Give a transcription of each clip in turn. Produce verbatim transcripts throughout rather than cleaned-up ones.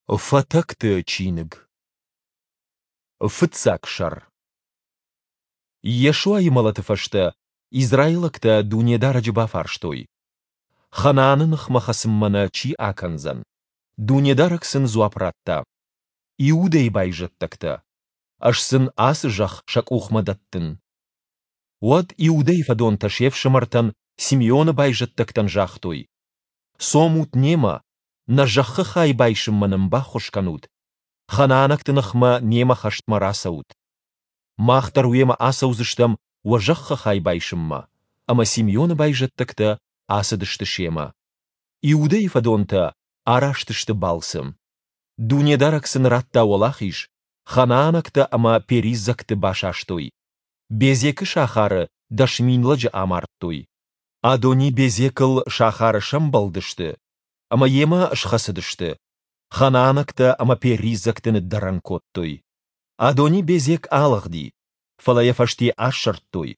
Фатӕгты чиныг. Фыццаг сӕр. Йешуайы мӕлӕты фӕстӕ израилӕгтӕ Дунедарӕджы бафарстой: Ханааны ныхмӕ хӕцынмӕ нӕ чи акӕндзӕн? Дунедарӕг сын дзуапп радта: Иудӕйы байзӕддӕгтӕ. Ӕз сын ацы зӕхх сӕ къухмӕ дӕттын. Уӕд Иудӕйы фӕдонтӕ се фсымӕртӕн, Симеоны байзӕддӕгтӕн, загътой: Цомут немӕ, нӕ зӕххы хай байсынмӕ нын баххуыс кӕнут, ханаанӕгты ныхмӕ немӕ хӕстмӕ рацӕут. Мах дӕр уемӕ ацӕудзыстӕм уӕ зӕххы хай байсынмӕ. Ӕмӕ Симеоны байзӕддӕгтӕ ацыдысты семӕ. Иудӕйы фӕдонтӕ араст сты балцы. Дунедарӕг сын радта уӕлахиз, ханаанӕгтӕ ӕмӕ периззӕгты басастой. Безекы сахары дӕс мин лӕджы амардтой. Адони-Безекыл сахары сӕмбӕлдысты ӕмӕ йемӕ схӕцыдысты. Ханаанӕгтӕ ӕмӕ периззӕгты ныддӕрӕн кодтой. Адони-Безек алыгъди, фӕлӕ йӕ фӕсте асырдтой,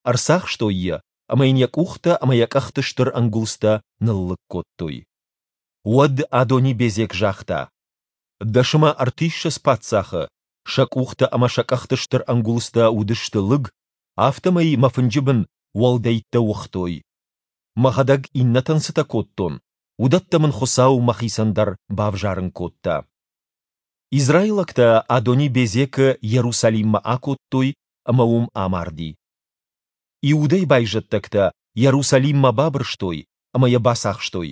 ӕрцахстой йӕ ӕмӕ йын йӕ къухтӕ ӕмӕ йӕ къӕхты стыр ӕнгуылдзтӕ ныллыг кодтой. Уӕд Адони-Безек загъта: Дӕс ӕмӕ ӕртиссӕдз паддзахы, сӕ къухтӕ ӕмӕ сӕ къӕхты стыр ӕнгуылдзтӕ уыдысты лыг, афтӕмӕй мӕ фынджы бын уӕлдӕйттӕ уыгътой. Мӕхӕдӕг иннӕтӕн цытӕ кодтон, уыдӕттӕ мын Хуыцау мӕхицӕн дӕр бавзарын кодта. Израилӕгтӕ Адони-Безекы Йерусалиммӕ акодтой, ӕмӕ уым амарди. Иудӕйы байзӕддӕгтӕ Йерусалиммӕ бабырстой ӕмӕ йӕ бацахстой,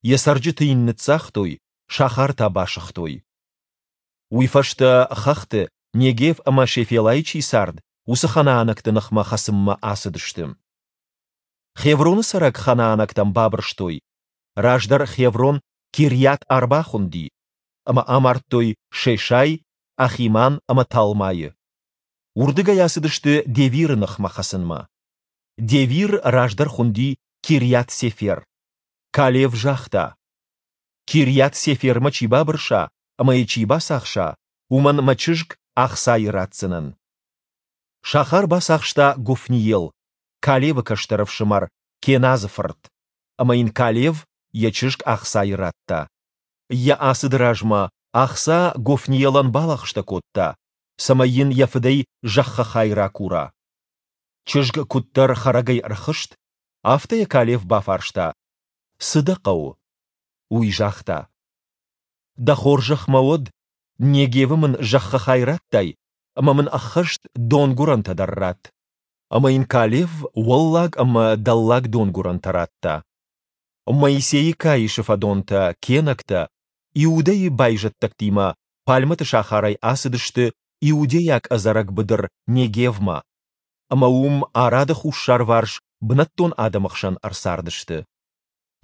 йӕ цӕрджыты йын ныццагътой, сахар та басыгътой. Уый фӕстӕ хӕхты, Негев ӕмӕ Шефелайы чи цард, уыцы ханаанӕгты ныхмӕ хӕцынмӕ ацыдысты. Хевроны цӕрӕг ханаанӕгтӕм бабырстой. Раздӕр Хеврон Кирйат-Арба хуынди, ӕмӕ амардтой Шешай, Ахиман ӕмӕ Талмайы. Уырдыгӕй ацыдысты Девиры ныхмӕ хӕцынмӕ. Девир раздӕр хуынди Кирйат-Сефер. Калев загъта: Кирйат-Сефермӕ чи бабырса ӕмӕ йӕ чи бацахса, уымӕн мӕ чызг Ахсайы ратдзынӕн. Сахар бацахста Гофниел, Калевы кӕстӕр ӕфсымӕр Кеназы фырт, ӕмӕ йын Калев йӕ чызг Ахсайы радта. Йӕ ацыды размӕ Ахса Гофниелӕн балӕгъстӕ кодта, цӕмӕй йын йӕ фыдӕй зӕххы хай ракура. Чызг куыддӕр хӕрӕгӕй ӕрхызт, афтӕ йӕ Калев бафарста: Цы дӕ хъӕуы? Уый загъта: Дӕ хорзӕх мӕ уӕд, Негевы мын зӕххы хай радтай, ӕмӕ мын ӕххӕст донгуырӕнтӕ дӕр ратт. Ӕмӕ йын Калев уӕллаг ӕмӕ дӕллаг донгуырӕнтӕ радта. Моисейы каисы фӕдонтӕ, кенӕгтӕ, Иудӕйы байзӕддӕгтимӕ Пальмӕты сахарӕй ацыдысты иудейаг ӕдзӕрӕг быдыр Негевмӕ, ӕмӕ уым Арады хуссарварс бынӕттон адӕмы хсӕн ӕрцардысты.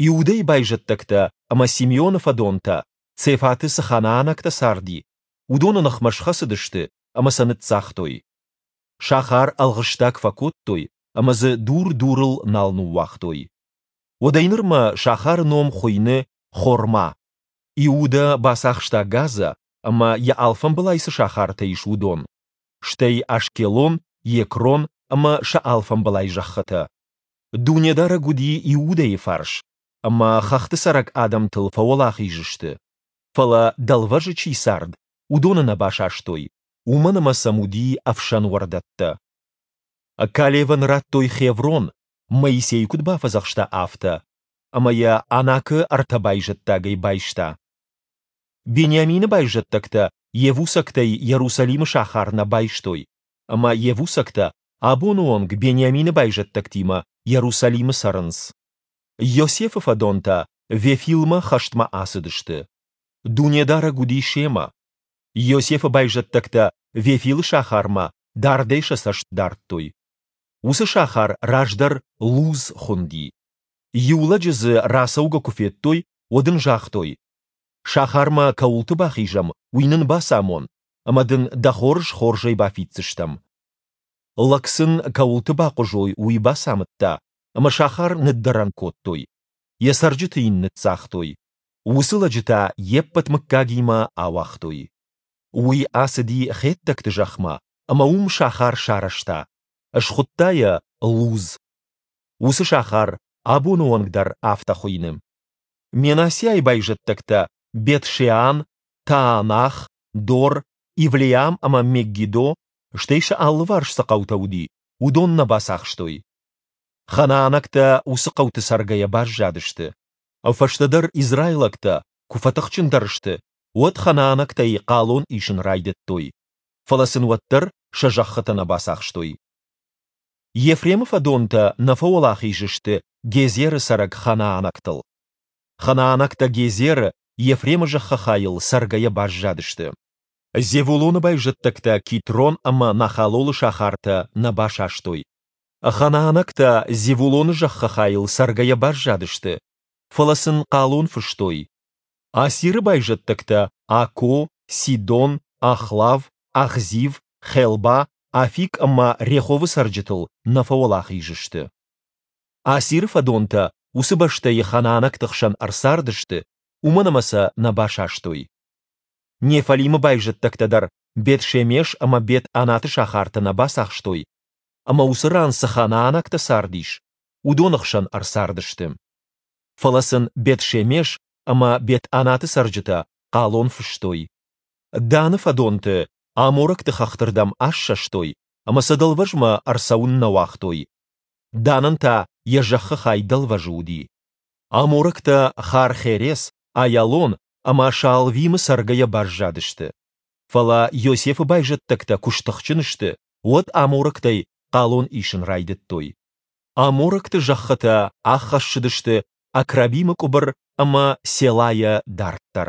Иудӕйы байзӕддӕгтӕ ӕмӕ Симеоны фӕдонтӕ, Цефаты цы ханаанӕгтӕ царди, уыдоны ныхмӕ схӕцыдысты ӕмӕ сӕ ныццагътой. Сахар ӕлгъыстаг фӕкодтой ӕмӕ дзы дур дурыл нал ныууагътой. Уӕдӕй нырмӕ сахары ном хуыйны Хорма. Иудӕ бацахста Газӕ ӕмӕ йӕ алфамбылай цы сахартӕ ис, уыдон, стӕй Ашкелон, Екрон ӕмӕ сӕ алфамбылай зӕххытӕ. Дунедарӕг уыди Иудӕйы фарс, ӕмӕ хӕхты цӕрӕг адӕмтыл фӕуӕлахиз сты. Фӕлӕ дӕлвӕзы чи цард, уыдоны нӕ басастой, уымӕн ӕмӕ сӕм уыди ӕфсӕн уӕрдӕттӕ. Калевӕн радтой Хеврон, Моисей куыд бафӕдзӕхста, афтӕ, ӕмӕ йӕ Анакы ӕртӕ байзӕддагӕй байста. Бениамины байзӕддӕгтӕ йевусӕгтӕй Йерусалимы сахар нӕ байстой, ӕмӕ йевусӕгтӕ абоны онг Бениамины байзӕддӕгтимӕ Йерусалимы цӕрынц. Йосефы фӕдонтӕ Вефилмӕ хӕстмӕ ацыдысты. Дунедарӕг уыди семӕ. Йосефы байзӕддӕгтӕ Вефилы сахармӕ дардӕй сӕ цӕст дардтой. Уыцы сахар раздӕр Луз хуынди. Иу лӕджы дзы рацӕугӕ куы федтой, уӕд ын загътой: Сахармӕ кӕуылты бахизӕм, уый нын бацамон, ӕмӕ дын дӕ хорз хорзӕй бафиддзыстӕм. Лӕг сын, кӕуылты бахъуызой, уый бацамыдта, ӕмӕ сахар ныддӕрӕн кодтой, йӕ цӕрджыты йын ныццагътой. Уыцы лӕджы та йе ппӕт мыггагимӕ ауагътой. Уый ацыди хеттӕгты зӕхмӕ ӕмӕ уым сахар сарӕзта, схуыдта йӕ Луз. Уыцы сахар абоны онг дӕр афтӕ хуыйны. Менассиайы байзӕддӕгтӕ Бет-Шеан Таанах, Дор, Ивлеам ӕмӕ Мегиддо, стӕй сӕ алыварс цы хъӕутӕ уыди, уыдон нӕ бацахстой. Ханаанӕгтӕ уыцы хъӕуты цӕргӕйӕ баззадысты. Фӕстӕдӕр израилӕгтӕ, куы фӕтыхджындӕр сты, уӕд ханаанӕгтӕй хъалон исын райдыдтой. Фӕлӕ сын уӕддӕр сӕ зӕххытӕ нӕ бацахстой. Ефремы фӕдонтӕ нӕ фӕуӕлахиз сты Гезеры цӕрӕг ханаанӕгтыл. Ханаанӕгтӕ Гезеры, Ефремы зӕххы хайыл, цӕргӕйӕ баззадысты. Зевулоны байзӕддӕгтӕ Китрон ӕмӕ Нахалолы сахартӕ нӕ басастой. Ханаанӕгтӕ Зевулоны зӕххы хайыл цӕргӕйӕ баззадысты, фӕлӕ сын хъалон фыстой. Асиры байзӕддӕгтӕ Акко, Сидон, Ахлав, Ахзив, Хелба, Афик ӕмӕ Реховы цӕрджытыл нӕ фӕуӕлахиз сты. Асиры фӕдонтӕ уыцы бӕстӕйы ханаанӕгты хсӕн ӕрцардысты, уымӕн ӕмӕ сӕ нӕ басастой. Неффалимы байзӕддӕгтӕ дӕр Бет-Шемеш ӕмӕ Бет-Анаты сахартӕ нӕ бацахстой, ӕмӕ уыцы ран цы ханаанӕгтӕ цардис, уыдоны хсӕн ӕрцардысты. Фӕлӕ сын Бет-Шемеш ӕмӕ Бет-Анаты цӕрджытӕ хъалон фыстой. Даны фӕдонты аморӕгты хӕхты рдӕм ассӕстой ӕмӕ сӕ дӕлвӕзмӕ ӕрцӕуын нӕ уагътой. Данӕн та йӕ зӕххы хай дӕлвӕзы уыди. Аморӕгтӕ Хар-Херес, Аялон ӕмӕ Шаалвимы цӕргӕйӕ баззадысты. Фӕлӕ Йосефы байзӕддӕгтӕ куы стыхджын сты, уӕд аморӕгтӕй хъалон исын райдыдтой. Аморӕгты зӕххытӕ ӕххӕссыдысты Акрабимы къуыбыр ӕмӕ Селайӕ дарддӕр.